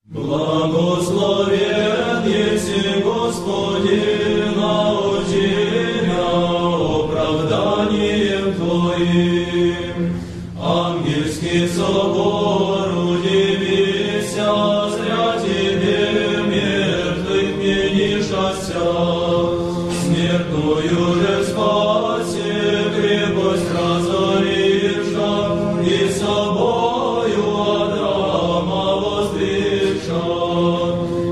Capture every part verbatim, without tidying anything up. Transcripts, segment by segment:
Благословен еси, Господи, научи меня оправданием Твоим. Ангельский собор, удивися, зря Тебе мертвых менишася. Смертную же спаси, крепость разоривша, и собою Адама воздвигша,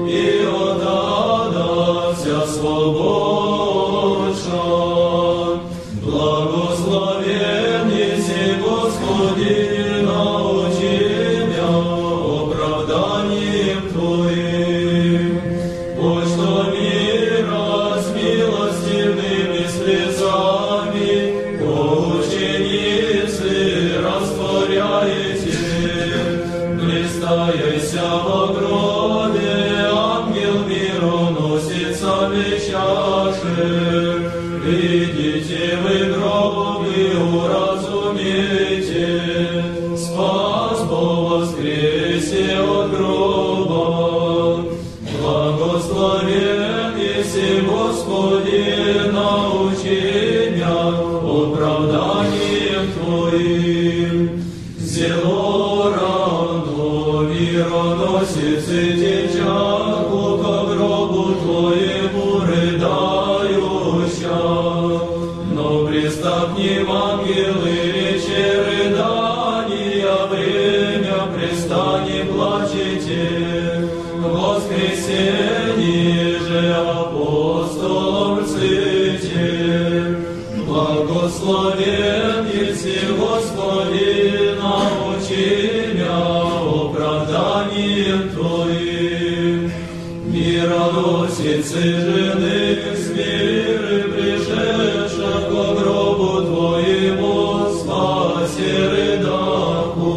и от ада вся свободша. Благословен еси, Господи, научи меня оправданием Твоим. Пусть что мира с милостивыми слезами, о ученицы растворяете. Блистаяся во гробе, ангел миру носится чаши. Видите вы гроб и уразумейте, спас по воскресе от гроба. Благословен еси, Господи, научи меня оправданием Твоим. Зело рано мироносицы течаку ко гробу Твоему рыдающа. Но приступним ангелы речи рыдания, время пристани плачете. Воскресенье же апостолом рците. Благословен еси, Господи, научи меня оправданием Твоим. Мироносицы женых с миры пришедша ко гробу Твоему, спаси рыдаку.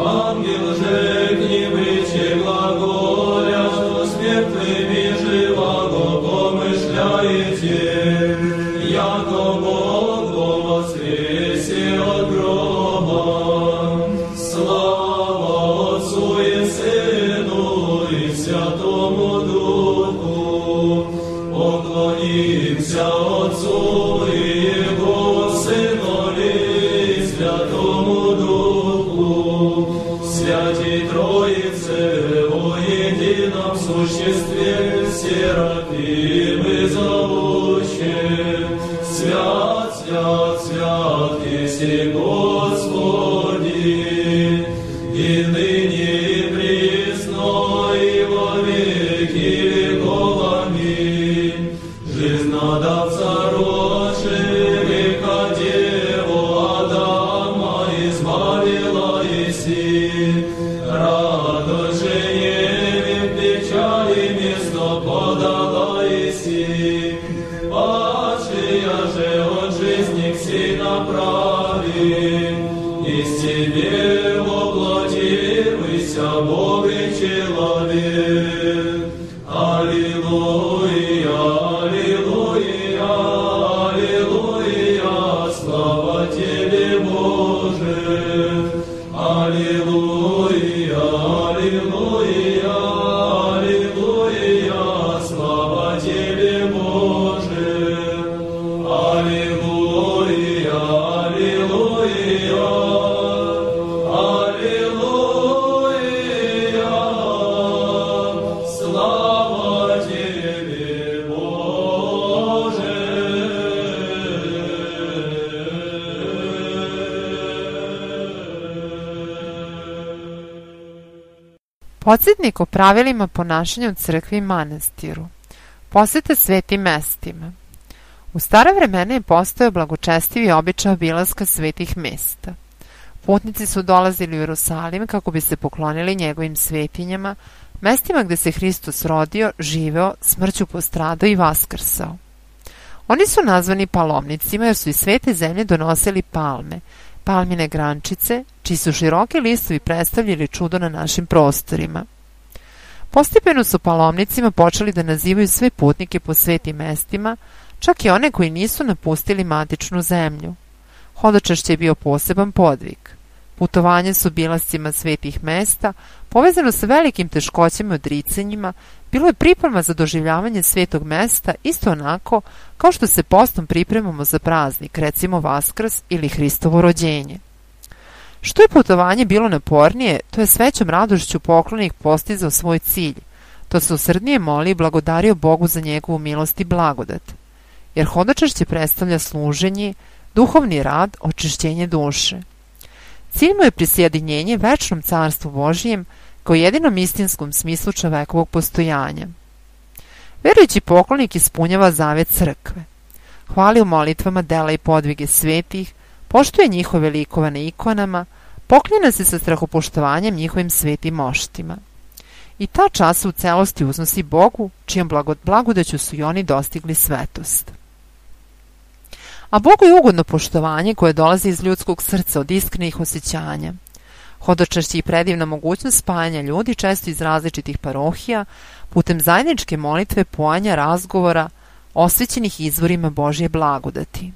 Ангел же к ним речи глаголя, что с мертвыми живаго помышляете, яко Бог во воскресе от гроба. Слава Отцу и Сыну и Святому Духу. Поклонимся Отцу и Его Сынові и Святому Духу. Святій Троице во едином существе, серафимы зовуще. Свят, свят, свят еси, Господи, и ныне и присно и во веки веков. Аминь. Жизнодавца рожи, века Деву Адама избавила еси. Радость же Еве в печали место подала еси. Падшая же от жизни к сей направи. Из Тебе воплотився Бог и человек. Аллилуйя, аллилуйя, аллилуйя, слава Тебе, Боже. Аллилуйя, аллилуйя, аллилуйя, слава Тебе, Боже. Аллилуйя, аллилуйя, аллилуйя, слава Тебе, Боже. Podsjetnik o pravilima ponašanja u crkvi i manastiru. Poseta svetim mestima. U stara vremena je postojao blagočestivi običaj obilaska svetih mesta. Putnici su dolazili u Jerusalim kako bi se poklonili njegovim svetinjama, mestima gde se Hristos rodio, živeo, smrću postradao i vaskrsao. Oni su nazvani palomnicima jer su iz svete zemlje donosili palme, palmine grančice, čiji su široki listovi predstavljali čudo na našim prostorima. Postepeno su palomnicima počeli da nazivaju sve putnike po svetim mestima, čak i one koji nisu napustili matičnu zemlju. Hodočašće je bio poseban podvig. Putovanje s obilascima svetih mesta, povezano sa velikim teškoćama i odricanjima, bilo je priprema za doživljavanje svetog mesta isto onako kao što se postom pripremamo za praznik, recimo Vaskrs ili Hristovo rođenje. Što je putovanje bilo napornije, to je s većom radošću poklonik postizao svoj cilj, to se usrdnije moli i blagodario Bogu za njegovu milost i blagodat, jer hodočašće predstavlja služenje, duhovni rad, očišćenje duše. Cilj mu je prisjedinjenje večnom carstvu Božijem kao jedinom istinskom smislu čovekovog postojanja. Verujući poklonik ispunjava zavet crkve. Hvali u molitvama dela i podvige svetih, poštuje njihove likova na ikonama, poklanja se sa strahopoštovanjem njihovim svetim moštima. I ta čast u celosti uznosi Bogu, čijom blagodaću su i oni dostigli svetost. A Bogu je ugodno poštovanje koje dolazi iz ljudskog srca od iskrenih osjećanja. Hodočašće i predivna mogućnost spajanja ljudi često iz različitih parohija putem zajedničke molitve, poanja, razgovora, osvećenih izvorima Božje blagodati.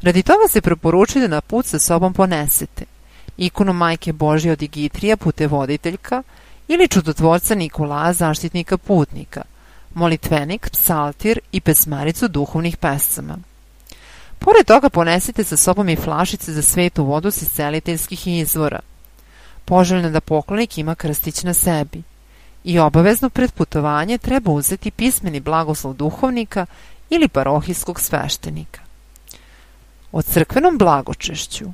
Radi toga se preporučuje da na put sa sobom ponesete ikonu Majke Božje od Igitrija, putevoditeljka, ili čudotvorca Nikolaja, zaštitnika putnika, molitvenik, psaltir i pesmaricu duhovnih pesama. Pored toga ponesite sa sobom i flašice za svetu vodu s isceliteljskih izvora. Poželjno da poklonik ima krstić na sebi. I obavezno pred putovanje treba uzeti pismeni blagoslov duhovnika ili parohijskog sveštenika. O crkvenom blagočešću.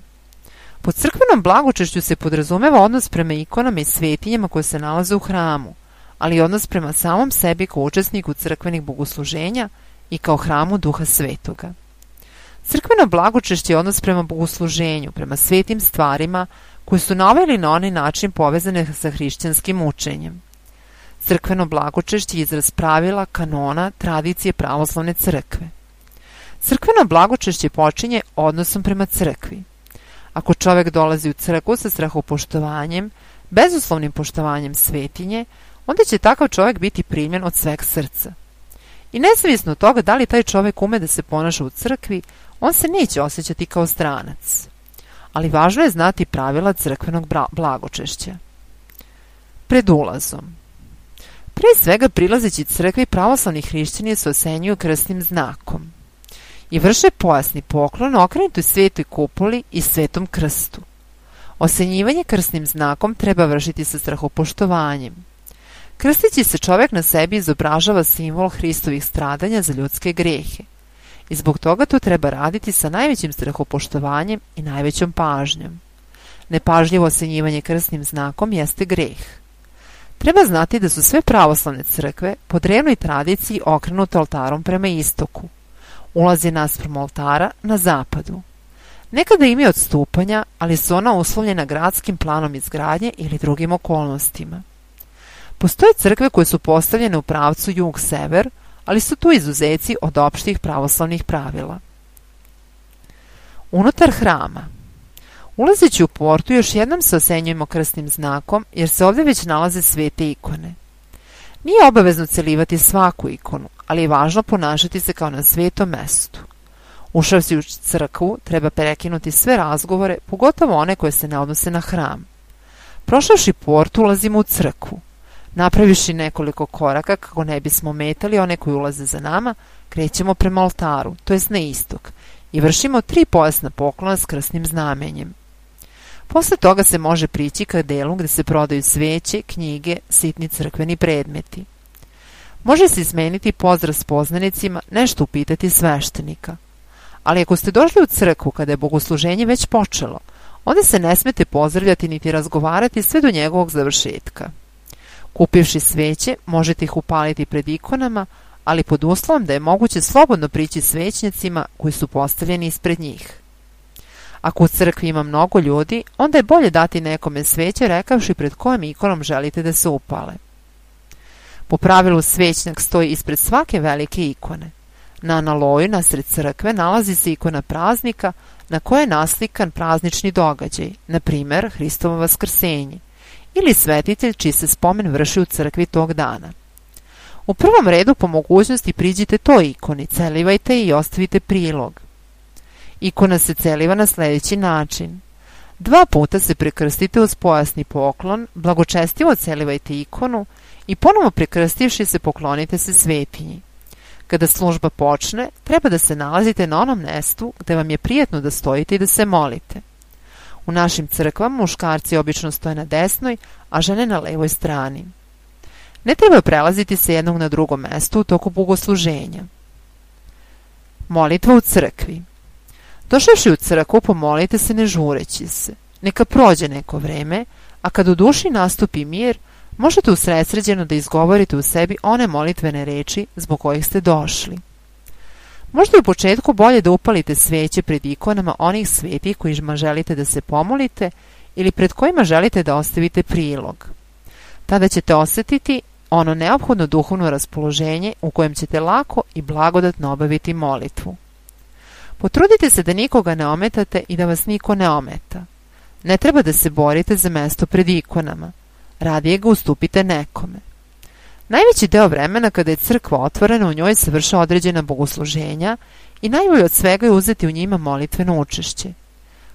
Pod crkvenom blagočešću se podrazumeva odnos prema ikonama i svetinjama koje se nalaze u hramu, ali i odnos prema samom sebi kao učesniku crkvenih bogosluženja i kao hramu Duha Svetoga. Crkveno blagočešće je odnos prema bogosluženju, prema svetim stvarima koje su na ovaj ili na onaj način povezane sa hrišćanskim učenjem. Crkveno blagočešće je izraz pravila, kanona, tradicije pravoslavne crkve. Crkveno blagočešće počinje odnosom prema crkvi. Ako čovek dolazi u crkvu sa strahopoštovanjem, bezuslovnim poštovanjem svetinje, onda će takav čovek biti primljen od sveg srca. I nezavisno od toga da li taj čovek ume da se ponaša u crkvi, on se neće osjećati kao stranac. Ali važno je znati pravila crkvenog blagočešća. Pred ulazom. Pre svega prilazeći crkvi pravoslavni hrišćani se osenjuju krstnim znakom i vrše pojasni poklon okrenutoj svetoj kupoli i svetom krstu. Osenjivanje krstnim znakom treba vršiti sa strahopoštovanjem. Krstići se čovek na sebi izobražava simbol Hristovih stradanja za ljudske grehe i zbog toga to treba raditi sa najvećim strahopoštovanjem i najvećom pažnjom. Nepažljivo osenjivanje krstnim znakom jeste greh. Treba znati da su sve pravoslavne crkve po drevnoj tradiciji okrenute oltarom prema istoku. Ulaz je naspram oltara na zapadu. Nekada imaju odstupanja, ali su ona uslovljena gradskim planom izgradnje ili drugim okolnostima. Postoje crkve koje su postavljene u pravcu jug-sever, ali su tu izuzeci od opštih pravoslavnih pravila. Unutar hrama. Ulazeći u portu još jednom se osenjujemo krstnim znakom, jer se ovdje već nalaze svete ikone. Nije obavezno celivati svaku ikonu, ali je važno ponašati se kao na svetom mestu. Ušavši u crkvu, treba prekinuti sve razgovore, pogotovo one koje se ne odnose na hram. Prošavši port, ulazimo u crkvu. Napraviši nekoliko koraka kako ne bismo metali one koji ulaze za nama, krećemo prema oltaru, to jest na istok, i vršimo tri pojasna poklona s krstnim znamenjem. Posle toga se može prići ka delu gde se prodaju sveće, knjige, sitni crkveni predmeti. Može se izmeniti pozdrav s poznanicima, nešto upitati sveštenika. Ali ako ste došli u crkvu kada je bogosluženje već počelo, onda se ne smete pozdravljati niti razgovarati sve do njegovog završetka. Kupivši sveće, možete ih upaliti pred ikonama, ali pod uslovom da je moguće slobodno prići svećnicima koji su postavljeni ispred njih. Ako u crkvi ima mnogo ljudi, onda je bolje dati nekome sveće rekavši pred kojom ikonom želite da se upale. Po pravilu svećnjak stoji ispred svake velike ikone. Na analoju nasred crkve nalazi se ikona praznika na kojoj je naslikan praznični događaj, na primer Hristovo vaskrsenje, ili svetitelj čiji se spomen vrši u crkvi tog dana. U prvom redu po mogućnosti priđite toj ikoni, celivajte i ostavite prilog. Ikona se celiva na sljedeći način. Dva puta se prekrstite uz pojasni poklon, blagočestivo celivajte ikonu i ponovo prekrstivši se poklonite se svetinji. Kada služba počne, treba da se nalazite na onom mestu gde vam je prijetno da stojite i da se molite. U našim crkvama muškarci obično stoje na desnoj, a žene na levoj strani. Ne treba prelaziti sa jednog na drugo mesto u toku bogosluženja. Molitva u crkvi. Došavši u crkvu, pomolite se ne žureći se. Neka prođe neko vreme, a kad u duši nastupi mir, možete usredsređeno da izgovorite u sebi one molitvene reči zbog kojih ste došli. Možda je u početku bolje da upalite sveće pred ikonama onih svetih kojima želite da se pomolite ili pred kojima želite da ostavite prilog. Tada ćete osjetiti ono neophodno duhovno raspoloženje u kojem ćete lako i blagodatno obaviti molitvu. Potrudite se da nikoga ne ometate i da vas niko ne ometa. Ne treba da se borite za mesto pred ikonama. Radije ga ustupite nekome. Najveći deo vremena kada je crkva otvorena, u njoj se vrše određena bogosluženja i najbolje od svega je uzeti u njima molitveno učešće.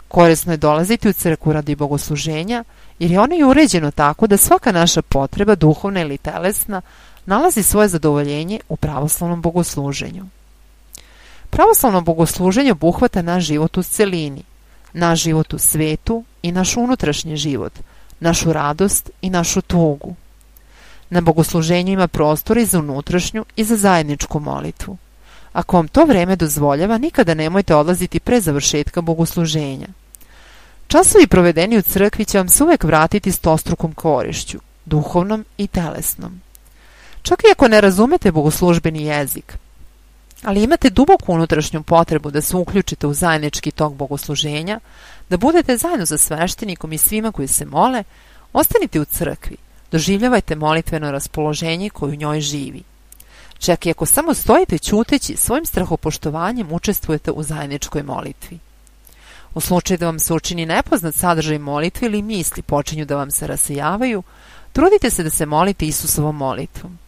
Korisno je dolaziti u crkvu radi bogosluženja, jer je ono i uređeno tako da svaka naša potreba, duhovna ili telesna, nalazi svoje zadovoljenje u pravoslavnom bogosluženju. Pravoslavno bogosluženje obuhvata naš život u celini, naš život u svetu i naš unutrašnji život, našu radost i našu tugu. Na bogosluženju ima prostora i za unutrašnju i za zajedničku molitvu. Ako vam to vreme dozvoljava, nikada nemojte odlaziti pre završetka bogosluženja. Časovi provedeni u crkvi će vam se uvek vratiti stostrukom korišću, duhovnom i telesnom. Čak i ako ne razumete bogoslužbeni jezik, ali imate duboku unutrašnju potrebu da se uključite u zajednički tok bogosluženja, da budete zajedno sa sveštenikom i svima koji se mole, ostanite u crkvi, doživljavajte molitveno raspoloženje koje u njoj živi. Čak i ako samo stojite ćuteći, svojim strahopoštovanjem učestvujete u zajedničkoj molitvi. U slučaju da vam se učini nepoznat sadržaj molitve ili misli počinju da vam se rasejavaju, trudite se da se molite Isusovom molitvom.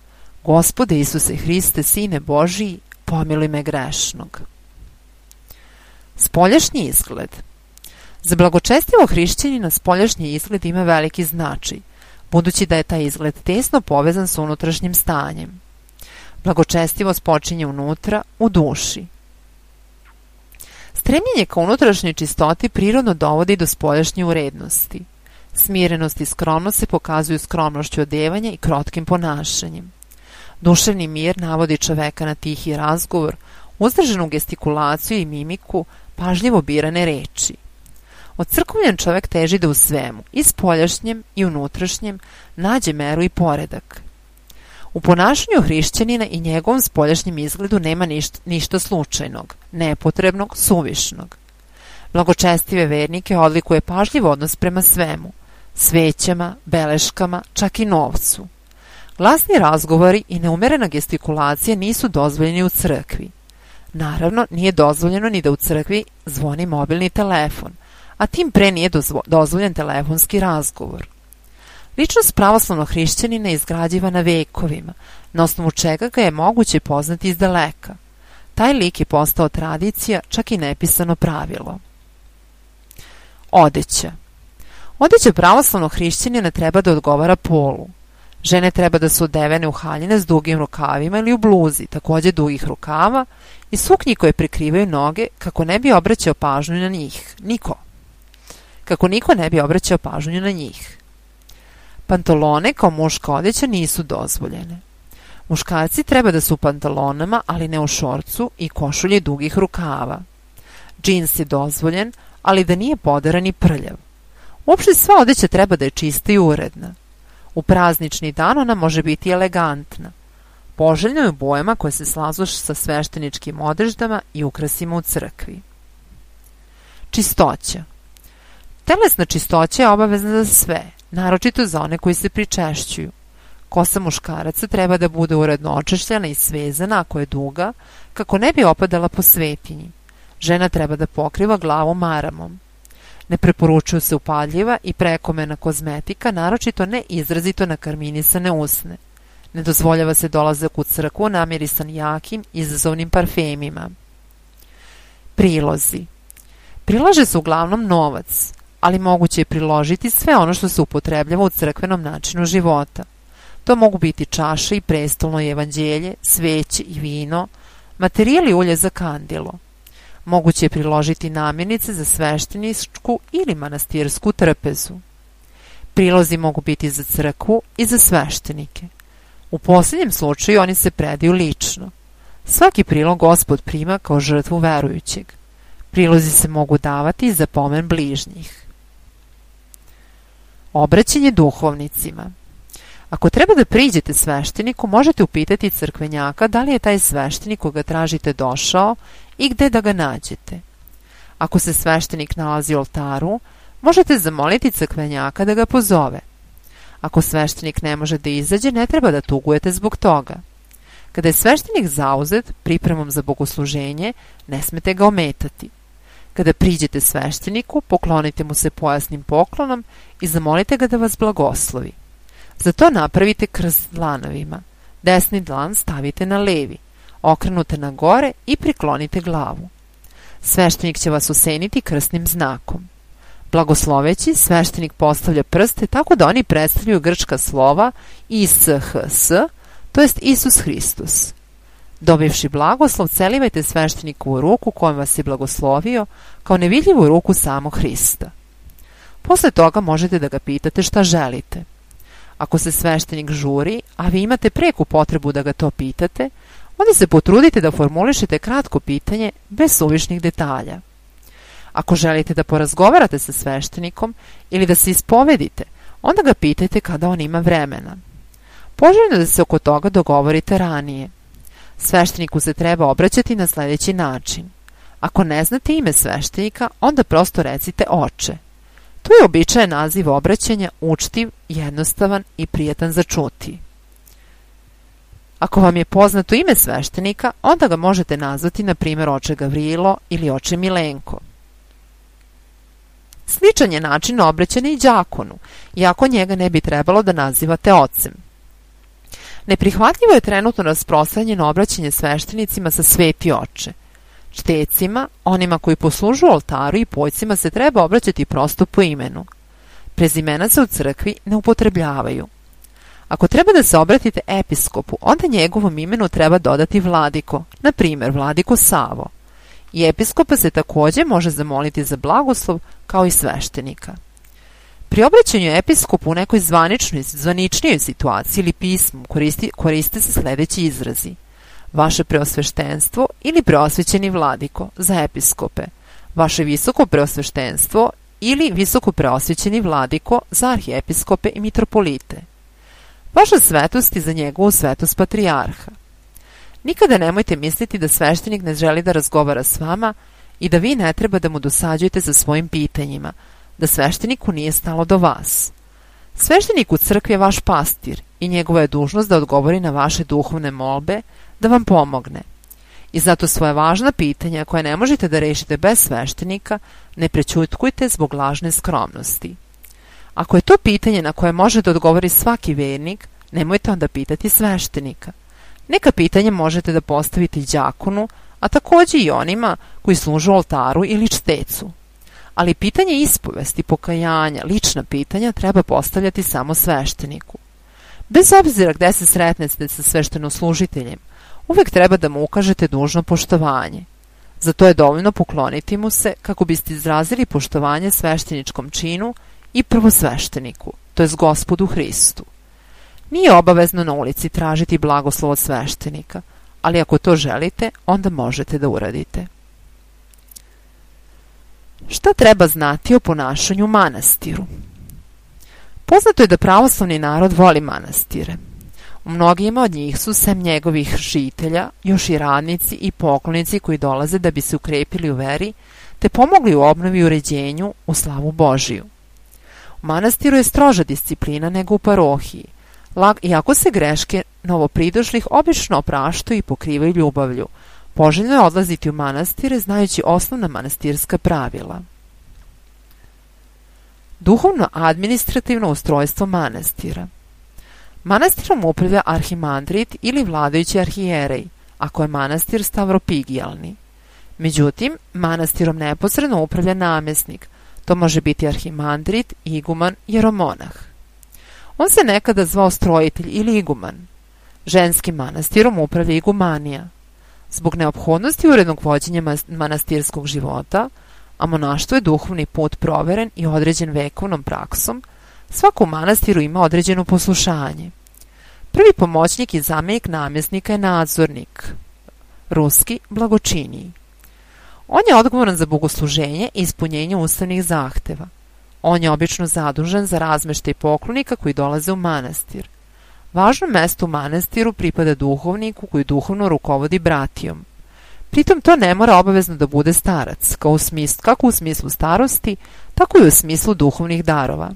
Gospode Isuse Hriste, Sine Božiji, pomiluj me grešnog. Spoljašnji izgled. Za blagočestivog hrišćanina spoljašnji izgled ima veliki značaj, budući da je taj izgled tesno povezan sa unutrašnjim stanjem. Blagočestivost počinje unutra, u duši. Stremljenje ka unutrašnjoj čistoti prirodno dovodi do spoljašnje urednosti. Smirenost i skromnost se pokazuju skromnošću odevanja i krotkim ponašanjem. Duševni mir navodi čoveka na tihi razgovor, uzdržanu gestikulaciju i mimiku, pažljivo birane reči. Odcrkovljen čovek teži da u svemu, i spoljašnjem i unutrašnjem, nađe meru i poredak. U ponašanju hrišćanina i njegovom spoljašnjem izgledu nema ništa, ništa slučajnog, nepotrebnog, suvišnog. Blagočestive vernike odlikuje pažljiv odnos prema svemu, svećama, beleškama, čak i novcu. Glasni razgovori i neumerena gestikulacija nisu dozvoljeni u crkvi. Naravno, nije dozvoljeno ni da u crkvi zvoni mobilni telefon, a tim pre nije dozvoljen telefonski razgovor. Ličnost pravoslavnog hrišćanina je izgrađivana vekovima, na osnovu čega ga je moguće poznati iz daleka. Taj lik je postao tradicija, čak i nepisano pravilo. Odeća. Odeća pravoslavnog hrišćanina treba da odgovara polu. Žene treba da su odevene u haljine s dugim rukavima ili u bluzi, takođe dugih rukava, i suknji koje prikrivaju noge kako ne bi obraćao pažnju na njih. Niko. Kako niko ne bi obraćao pažnju na njih. Pantalone kao muška odeća nisu dozvoljene. Muškarci treba da su u pantalonama, ali ne u šorcu i košulji dugih rukava. Džins je dozvoljen, ali da nije poderan i prljav. Uopšte sva odeća treba da je čista i uredna. U praznični dan ona može biti elegantna. Poželjno je u bojama koje se slažu sa svešteničkim odeždama i ukrasima u crkvi. Čistoća. Telesna čistoća je obavezna za sve, naročito za one koji se pričešćuju. Kosa muškaraca treba da bude uredno očešljana i svezana ako je duga, kako ne bi opadala po svetinji. Žena treba da pokriva glavu maramom. Ne preporučuju se upadljiva i prekomena kozmetika, naročito ne izrazito nakarminisane usne. Ne dozvoljava se dolazak u crkvu namirisan jakim, izazovnim parfemima. Prilozi. Prilaže se uglavnom novac, ali moguće je priložiti sve ono što se upotrebljava u crkvenom načinu života. To mogu biti čaše i prestolno i evanđelje, sveće i vino, materijal i ulje za kandilo. Moguće je priložiti namirnice za svešteničku ili manastirsku trpezu. Prilozi mogu biti za crkvu i za sveštenike. U posljednjem slučaju oni se predaju lično. Svaki prilog Gospod prima kao žrtvu verujućeg. Prilozi se mogu davati za pomen bližnjih. Obraćanje duhovnicima. Ako treba da priđete svešteniku, možete upitati crkvenjaka da li je taj sveštenik koga tražite došao i gde da ga nađete. Ako se sveštenik nalazi u oltaru, možete zamoliti crkvenjaka da ga pozove. Ako sveštenik ne može da izađe, ne treba da tugujete zbog toga. Kada je sveštenik zauzet pripremom za bogosluženje, ne smete ga ometati. Kada priđete svešteniku, poklonite mu se pojasnim poklonom i zamolite ga da vas blagoslovi. Za to napravite krst dlanovima. Desni dlan stavite na levi, okrenute na gore i priklonite glavu. Sveštenik će vas oseniti krstnim znakom. Blagosloveći, sveštenik postavlja prste tako da oni predstavljaju grčka slova I S H S, to jest Isus Hristos. Dobivši blagoslov, celivajte svešteniku u ruku kojom vas je blagoslovio, kao nevidljivu ruku samog Hrista. Posle toga možete da ga pitate šta želite. Ako se sveštenik žuri, a vi imate preku potrebu da ga to pitate, onda se potrudite da formulišete kratko pitanje bez suvišnih detalja. Ako želite da porazgovarate sa sveštenikom ili da se ispovedite, onda ga pitajte kada on ima vremena. Poželjno da se oko toga dogovorite ranije. Svešteniku se treba obraćati na sljedeći način. Ako ne znate ime sveštenika, onda prosto recite oče. To je običajen naziv obraćanja, učtiv, jednostavan i prijatan za čuti. Ako vam je poznato ime sveštenika, onda ga možete nazvati na primjer oče Gavrilo ili oče Milenko. Sličan je način obraćanja i đakonu, iako njega ne bi trebalo da nazivate ocem. Neprihvatljivo je trenutno rasprostranjeno obraćanje sveštenicima sa sveti oče. Čtecima, onima koji poslužuju oltaru i pojcima se treba obraćati prosto po imenu. Prezimena se u crkvi ne upotrebljavaju. Ako treba da se obratite episkopu, onda njegovom imenu treba dodati vladiko, na primjer vladiko Savo. I episkopa se također može zamoliti za blagoslov kao i sveštenika. Pri obraćanju episkopu u nekoj zvaničnoj, zvaničnijoj situaciji ili pismu koristi, koriste se sljedeći izrazi. Vaše preosveštenstvo ili preosvećeni vladiko za episkope, vaše visoko preosveštenstvo ili visoko preosvećeni vladiko za arhiepiskope i mitropolite. Vaša svetost i za njegovu svetost patrijarha. Nikada nemojte misliti da sveštenik ne želi da razgovara s vama i da vi ne treba da mu dosađujete sa svojim pitanjima, da svešteniku nije stalo do vas. Sveštenik u crkvi je vaš pastir i njegova je dužnost da odgovori na vaše duhovne molbe, da vam pomogne. I zato svoje važna pitanja koje ne možete da rešite bez sveštenika ne prećutkujte zbog lažne skromnosti. Ako je to pitanje na koje može da odgovori svaki vernik, nemojte onda pitati sveštenika. Neka pitanja možete da postavite i đakonu, a također i onima koji služu oltaru ili čtecu. Ali pitanje ispovesti, pokajanja, lična pitanja treba postavljati samo svešteniku. Bez obzira gde se sretnete sa sveštenoslужiteljem, uvek treba da mu ukažete dužno poštovanje. Za to je dovoljno pokloniti mu se kako biste izrazili poštovanje svešteničkom činu i prvosvešteniku, to jest Gospodu Hristu. Nije obavezno na ulici tražiti blagoslov od sveštenika, ali ako to želite, onda možete da uradite. Šta treba znati o ponašanju u manastiru? Poznato je da pravoslavni narod voli manastire. U mnogima od njih su, sem njegovih žitelja, još i radnici i poklonici koji dolaze da bi se ukrepili u veri, te pomogli u obnovi i uređenju u slavu Božiju. U manastiru je stroža disciplina nego u parohiji, iako se greške novopridošlih obično opraštaju i pokrivaju ljubavlju. Poželjno je odlaziti u manastire znajući osnovna manastirska pravila. Duhovno-administrativno ustrojstvo manastira. Manastirom upravlja arhimandrit ili vladajući arhijerej, ako je manastir stavropigijalni. Međutim, manastirom neposredno upravlja namjesnik, To može biti arhimandrit, iguman, jeromonah. On se nekada zvao strojitelj ili iguman. Ženskim manastirom upravlja igumanija. Zbog neophodnosti urednog vođenja manastirskog života, a monaštvo je duhovni put proveren i određen vekovnom praksom, svako u manastiru ima određeno poslušanje. Prvi pomoćnik i zamjenik namjesnika je nadzornik, ruski blagočiniji. On je odgovoran za bogosluženje i ispunjenje ustavnih zahteva. On je obično zadužen za razmeštaj poklonika koji dolaze u manastir. Važno mesto u manastiru pripada duhovniku koji duhovno rukovodi bratijom. Pritom to ne mora obavezno da bude starac, kao u smislu, kako u smislu starosti, tako i u smislu duhovnih darova.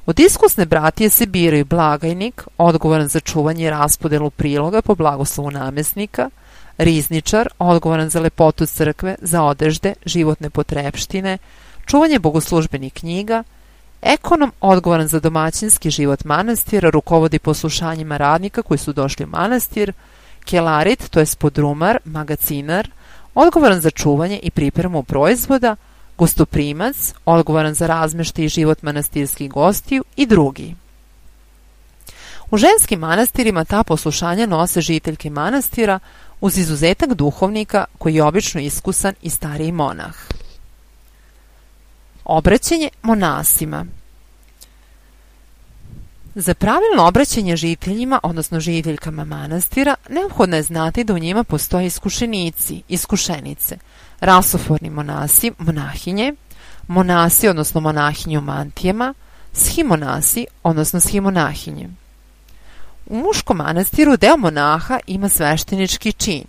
Od iskusne bratije se biraju blagajnik, odgovoran za čuvanje i raspodelu priloga po blagoslovu namjesnika, rizničar, odgovoran za lepotu crkve, za odežde, životne potrepštine, čuvanje bogoslužbenih knjiga, ekonom, odgovoran za domaćinski život manastira, rukovodi poslušanjima radnika koji su došli u manastir, kelarit, to je podrumar, magacinar, odgovoran za čuvanje i pripremu proizvoda, gostoprimac, odgovoran za razmeštaj i život manastirskih gostiju i drugi. U ženskim manastirima ta poslušanja nose žiteljke manastira uz izuzetak duhovnika koji je obično iskusan i stariji monah. Obraćanje monasima. Za pravilno obraćanje žiteljima, odnosno žiteljkama manastira, neophodno je znati da u njima postoje iskušenici, iskušenice, rasoforni monasi, monahinje, monasi, odnosno monahinje u mantijama, shimonasi, odnosno shimonahinje. U muškom manastiru deo monaha ima sveštenički čin,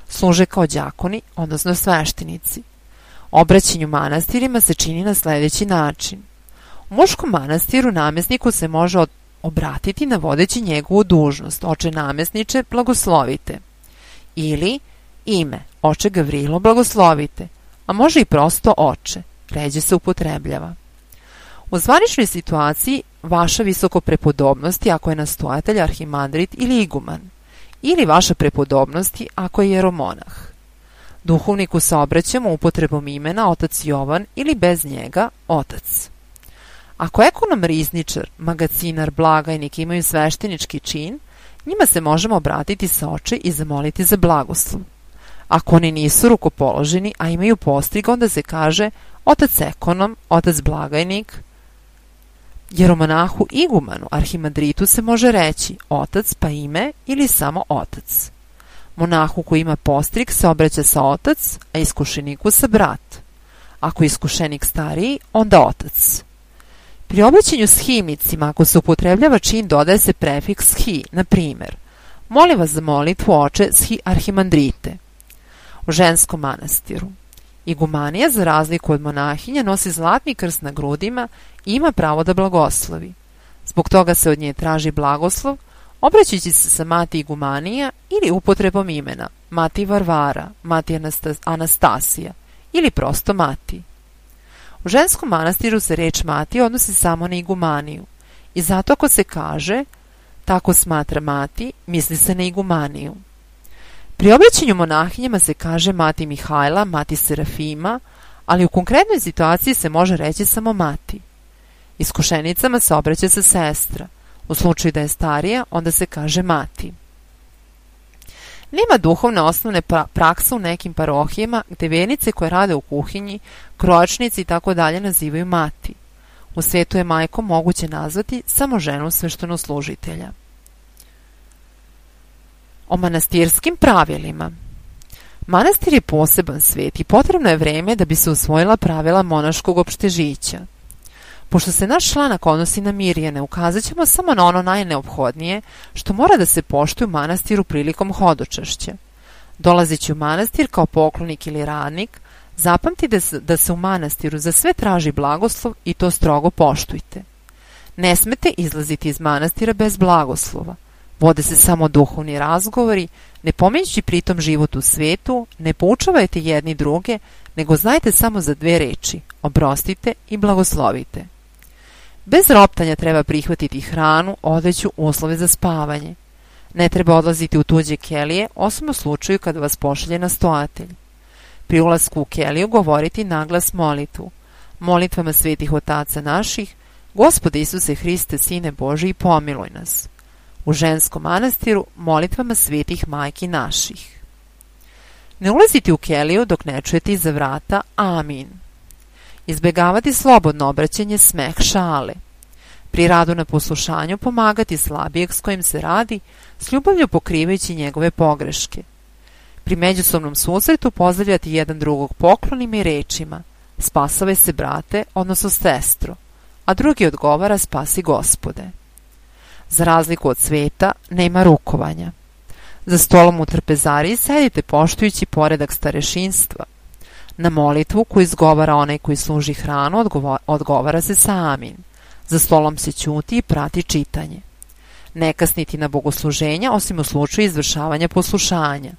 služe kao đakoni, odnosno sveštenici. Obraćanje u manastirima se čini na sljedeći način. U muškom manastiru namjesniku se može obratiti navodeći njegovu dužnost, oče namjesniče, blagoslovite. Ili ime, oče Gavrilo, blagoslovite, a može i prosto oče, ređe se upotrebljava. U zvaničnoj situaciji vaša visoko prepodobnosti ako je nastojatelj, arhimandrit ili iguman, ili vaša prepodobnosti ako je jeromonah. Duhovniku se obraćamo upotrebom imena otac Jovan ili bez njega otac. Ako ekonom, rizničar, magacinar, blagajnik imaju sveštenički čin, njima se možemo obratiti sa oče i zamoliti za blagoslov. Ako oni nisu rukopoloženi, a imaju postrig, onda se kaže otac ekonom, otac blagajnik. Jeromonahu igumanu, arhimandritu se može reći otac pa ime ili samo otac. Monahu koji ima postrig se obraća sa otac, a iskušeniku sa brat. Ako je iskušenik stariji, onda otac. Pri obraćanju s himnicima, ako se upotrebljava čin, dodaje se prefiks hi, na primjer, molim vas za molitvu oče shi arhimandrite. U ženskom manastiru igumanija, za razliku od monahinja, nosi zlatni krst na grudima i ima pravo da blagoslovi. Zbog toga se od nje traži blagoslov, obraćajući se sa mati igumanija ili upotrebom imena mati Varvara, mati Anastasija ili prosto mati. U ženskom manastiru se reč mati odnosi samo na igumaniju i zato ako se kaže tako smatra mati, misli se na igumaniju. Pri obraćanju monahinjama se kaže mati Mihajla, mati Serafima, ali u konkretnoj situaciji se može reći samo mati. Iskušenicama se obraća se sestra. U slučaju da je starija, onda se kaže mati. Nema duhovne osnovne prakse u nekim parohijama gde vernice koje rade u kuhinji, krojačnici i tako dalje nazivaju mati. U svetu je majkom moguće nazvati samo ženu sveštenoslужitelja. O manastirskim pravilima. Manastir je poseban svet i potrebno je vreme da bi se usvojila pravila monaškog opštežića. Pošto se naš članak odnosi na Mirjane, ukazat ćemo samo na ono najneophodnije što mora da se poštuje u manastiru prilikom hodočašća. Dolazeći u manastir kao poklonik ili radnik, zapamti da se, da se u manastiru za sve traži blagoslov i to strogo poštujte. Ne smete izlaziti iz manastira bez blagoslova. Vode se samo duhovni razgovori, ne pominjući pritom život u svetu, ne poučavajte jedni druge, nego znajte samo za dve reči, oprostite i blagoslovite. Bez roptanja treba prihvatiti hranu, odeću, uslove za spavanje. Ne treba odlaziti u tuđe kelije, osim u slučaju kada vas pošalje nastojatelj. Pri ulasku u keliju govoriti naglas molitvu. Molitvama svetih otaca naših, Gospode Isuse Hriste, Sine Božiji, pomiluj nas. U ženskom manastiru molitvama svetih majki naših. Ne ulaziti u keliju dok ne čujete iza vrata amin. Izbegavati slobodno obraćanje, smeh, šale. Pri radu na poslušanju pomagati slabijeg s kojim se radi, s ljubavlju pokrivajući njegove pogreške. Pri međusobnom susretu pozdravljati jedan drugog poklonima i rečima spasavaj se, brate, odnosno sestro, a drugi odgovara spasi, Gospode. Za razliku od sveta, nema rukovanja. Za stolom u trpezariji sedite poštujući poredak starešinstva. Na molitvu koju izgovara onaj koji služi hranu odgovo odgovara se sa amin. Za stolom se ćuti i prati čitanje. Ne kasniti na bogosluženja osim u slučaju izvršavanja poslušanja.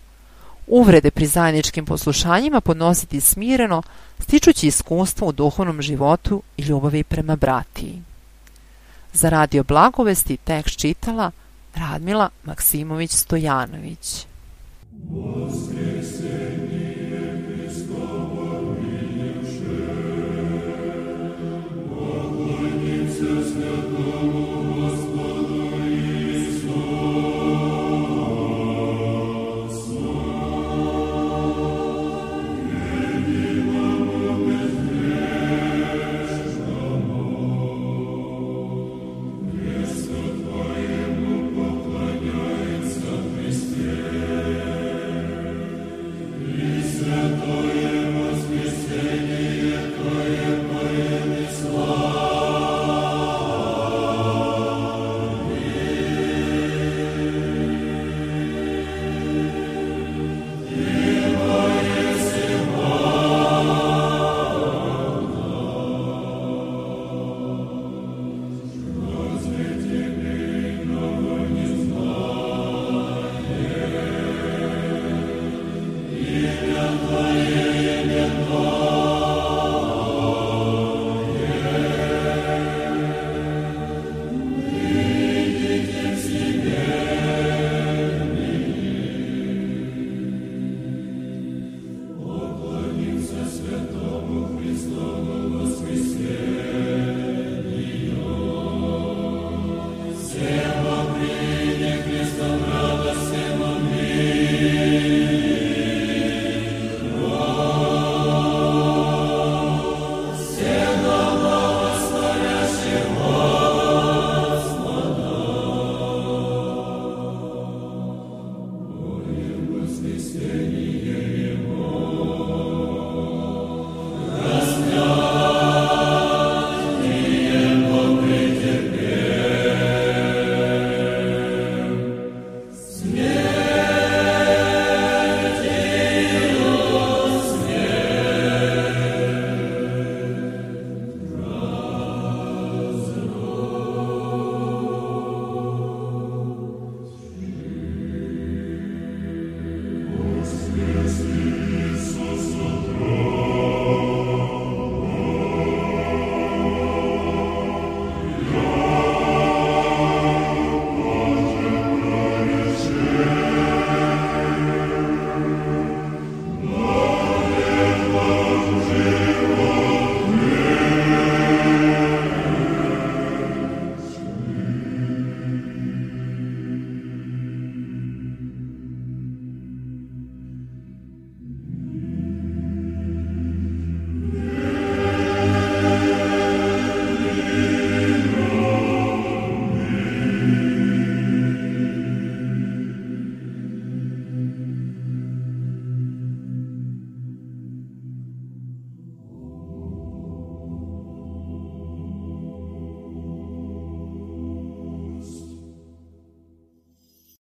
Uvrede pri zajedničkim poslušanjima podnositi smireno, stičući iskustvo u duhovnom životu i ljubavi prema bratiji. Za radio Blagovesti tekst čitala Radmila Maksimović Stojanović. Voskresenje